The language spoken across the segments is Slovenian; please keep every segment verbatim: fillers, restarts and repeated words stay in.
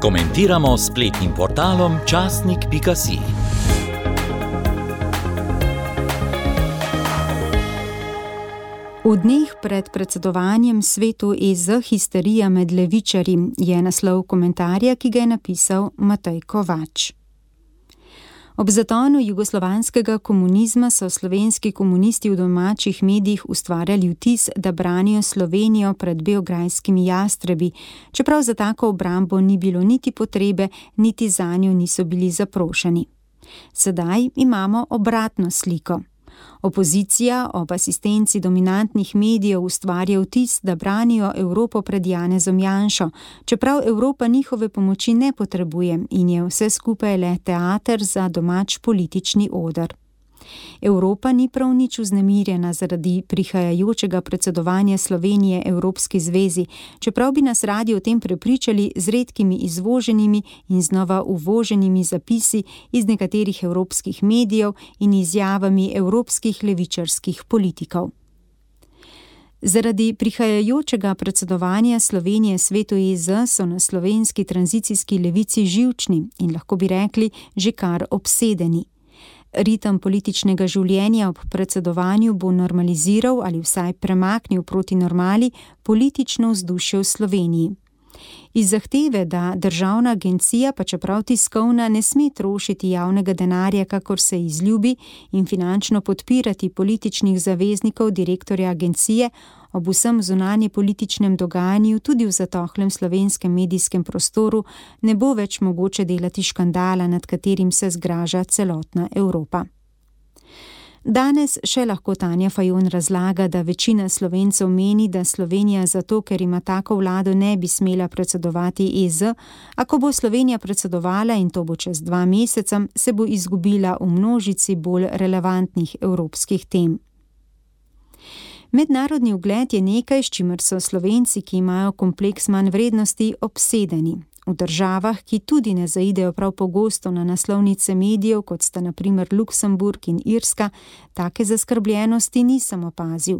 Komentiramo s spletnim portalom časnik pika si. V dneh pred predsedovanjem svetu E Z histerija med levičarji je naslov komentarja, ki ga je napisal Matej Kovač. Ob zatonu jugoslovanskega komunizma so slovenski komunisti v domačih medijih ustvarjali vtis, da branijo Slovenijo pred beograjskimi jastrebi, čeprav za tako obrambo ni bilo niti potrebe, niti zanjo niso bili zaprošeni. Sedaj imamo obratno sliko. Opozicija ob asistenci dominantnih medijev ustvarja vtis, da branijo Evropo pred Janezom Janšo, čeprav Evropa njihove pomoči ne potrebuje in je vse skupaj le teater za domač politični oder. Evropa ni prav nič vznemirjena zaradi prihajajočega predsedovanja Slovenije Evropski zvezi, čeprav bi nas radi o tem prepričali z redkimi izvoženimi in znova uvoženimi zapisi iz nekaterih evropskih medijev in izjavami evropskih levičarskih politikov. Zaradi prihajajočega predsedovanja Slovenije svetu E Z so na slovenski tranzicijski levici živčni in lahko bi rekli že kar obsedeni. Ritem političnega življenja ob predsedovanju bo normaliziral ali vsaj premaknil proti normali politično vzdušje v Sloveniji. Iz zahteve, da državna agencija, pa čeprav tiskovna, ne sme trošiti javnega denarja, kakor se izljubi, in finančno podpirati političnih zaveznikov direktorja agencije, ob vsem zunanje političnem dogajanju tudi v zatohlem slovenskem medijskem prostoru ne bo več mogoče delati škandala, nad katerim se zgraža celotna Evropa. Danes še lahko Tanja Fajon razlaga, da večina Slovencev meni, da Slovenija zato, ker ima tako vlado, ne bi smela predsedovati E Z, a ko bo Slovenija predsedovala, in to bo čez dva meseca, se bo izgubila v množici bolj relevantnih evropskih tem. Mednarodni ugled je nekaj, s čimer so Slovenci, ki imajo kompleks manj vrednosti, obsedeni. V državah, ki tudi ne zaidejo prav pogosto na naslovnice medijev, kot sta na primer Luksemburg in Irska, take zaskrbljenosti nisem opazil.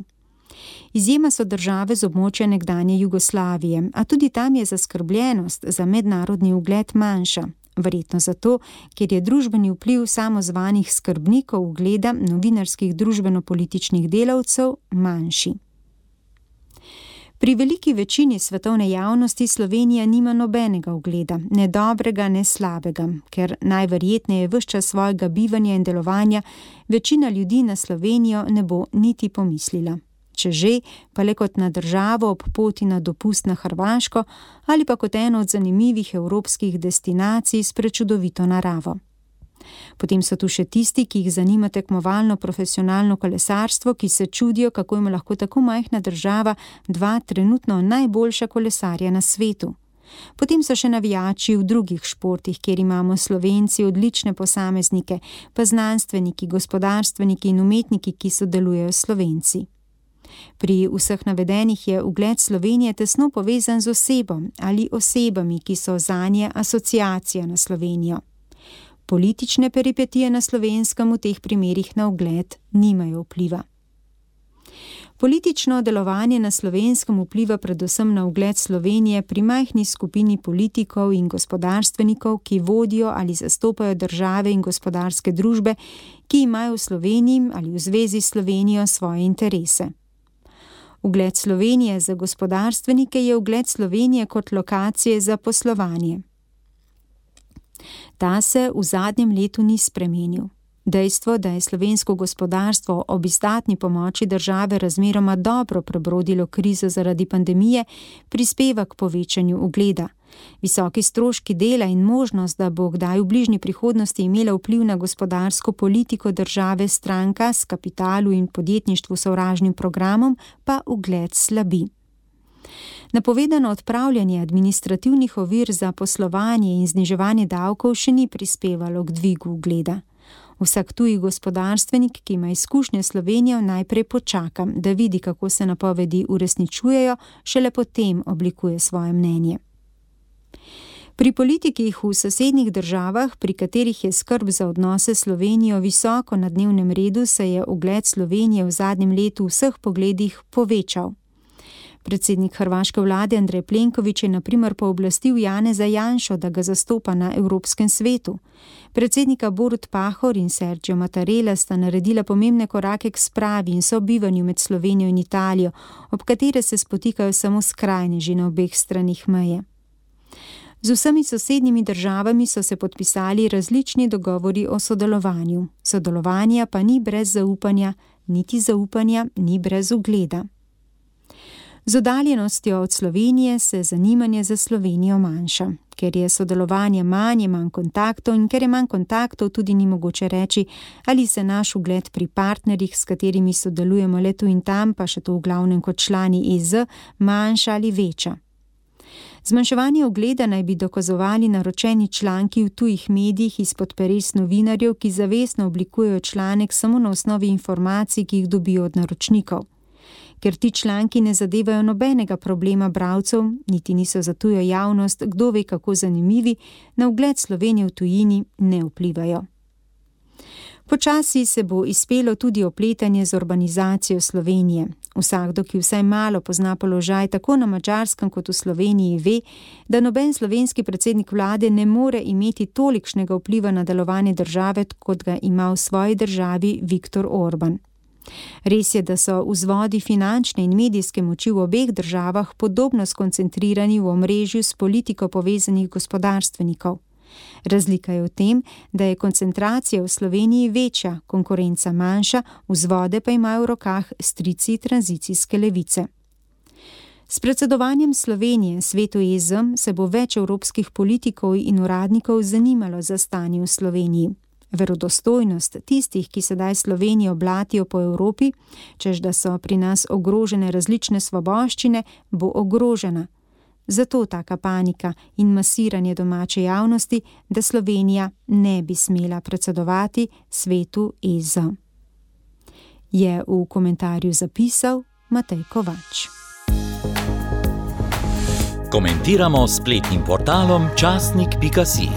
Izjema so države z območja nekdanje Jugoslavije, a tudi tam je zaskrbljenost za mednarodni ugled manjša. Verjetno zato, ker je družbeni vpliv samozvanih skrbnikov ugleda novinarskih družbeno-političnih delavcev manjši. Pri veliki večini svetovne javnosti Slovenija nima nobenega ugleda, ne dobrega, ne slabega, ker najverjetneje ves čas svojega bivanja in delovanja večina ljudi na Slovenijo ne bo niti pomislila. Če že, pa le kot na državo ob poti na dopust na Hrvaško ali pa kot eno od zanimivih evropskih destinacij s prečudovito naravo. Potem so tu še tisti, ki jih zanima tekmovalno profesionalno kolesarstvo, ki se čudijo, kako ima lahko tako majhna država dva trenutno najboljša kolesarja na svetu. Potem so še navijači v drugih športih, kjer imamo Slovenci odlične posameznike, pa znanstveniki, gospodarstveniki in umetniki, ki sodelujejo s Slovenci. Pri vseh navedenih je ugled Slovenije tesno povezan z osebo ali osebami, ki so zanje asociacija na Slovenijo. Politične peripetije na Slovenskem v teh primerih na ugled nimajo vpliva. Politično delovanje na Slovenskem vpliva predvsem na ugled Slovenije pri majhni skupini politikov in gospodarstvenikov, ki vodijo ali zastopajo države in gospodarske družbe, ki imajo v Sloveniji ali v zvezi s Slovenijo svoje interese. Ugled Slovenije za gospodarstvenike je ugled Slovenije kot lokacije za poslovanje. Ta se v zadnjem letu ni spremenil. Dejstvo, da je slovensko gospodarstvo ob izdatni pomoči države razmeroma dobro prebrodilo krizo zaradi pandemije, prispeva k povečanju ugleda. Visoki stroški dela in možnost, da bo kdaj v bližnji prihodnosti imela vpliv na gospodarsko politiko države stranka s kapitalu in podjetništvu sovražnim programom, pa ugled slabi. Napovedano odpravljanje administrativnih ovir za poslovanje in zniževanje davkov še ni prispevalo k dvigu ugleda. Vsak tuji gospodarstvenik, ki ima izkušnje s Slovenijo, najprej počaka, da vidi, kako se napovedi uresničujejo, šele potem oblikuje svoje mnenje. Pri politikih v sosednjih državah, pri katerih je skrb za odnose s Slovenijo visoko na dnevnem redu, se je ugled Slovenije v zadnjem letu v vseh pogledih povečal. Predsednik hrvaške vlade Andrej Plenković je na primer pooblastil Janeza Janšo, da ga zastopa na Evropskem svetu. Predsednika Borut Pahor in Sergio Mattarella sta naredila pomembne korake k spravi in sobivanju med Slovenijo in Italijo, ob katere se spotikajo samo skrajneži na obeh stranih meje. Z vsemi sosednjimi državami so se podpisali različni dogovori o sodelovanju. Sodelovanja pa ni brez zaupanja, niti zaupanja ni brez ugleda. Z oddaljenostjo od Slovenije se zanimanje za Slovenijo manjša. Ker je sodelovanje manj, je manj kontaktov in ker je manj kontaktov, tudi ni mogoče reči, ali se naš ugled pri partnerjih, s katerimi sodelujemo le tu in tam, pa še to v glavnem kot člani E Z, manjša ali veča. Zmanjševanje ugleda naj bi dokazovali naročeni članki v tujih medijih izpod peres novinarjev, ki zavestno oblikujejo članek samo na osnovi informacij, ki jih dobijo od naročnikov. Ker ti članki ne zadevajo nobenega problema bralcev, niti niso za tujo javnost, kdo ve kako zanimivi, na ugled Slovenije v tujini ne vplivajo. Počasi se bo izpelo tudi opletanje z urbanizacijo Slovenije. Vsakdo, ki vsaj malo pozna položaj tako na Madžarskem kot v Sloveniji, ve, da noben slovenski predsednik vlade ne more imeti tolikšnega vpliva na delovanje države, kot ga ima v svoji državi Viktor Orban. Res je, da so vzvodi finančne in medijske moči v obeh državah podobno skoncentrirani v omrežju s politiko povezanih gospodarstvenikov. Razlika je v tem, da je koncentracija v Sloveniji večja, konkurenca manjša, vzvode pa imajo v rokah strici tranzicijske levice. S predsedovanjem Slovenije svetu E Z se bo več evropskih politikov in uradnikov zanimalo za stanje v Sloveniji. Verodostojnost tistih, ki sedaj Slovenijo blatijo po Evropi, čež da so pri nas ogrožene različne svoboščine, bo ogrožena. Zato taka panika in masiranje domače javnosti, da Slovenija ne bi smela predsedovati svetu E Z. Je v komentarju zapisal Matej Kovač. Komentiramo s spletnim portalom časnik pika si.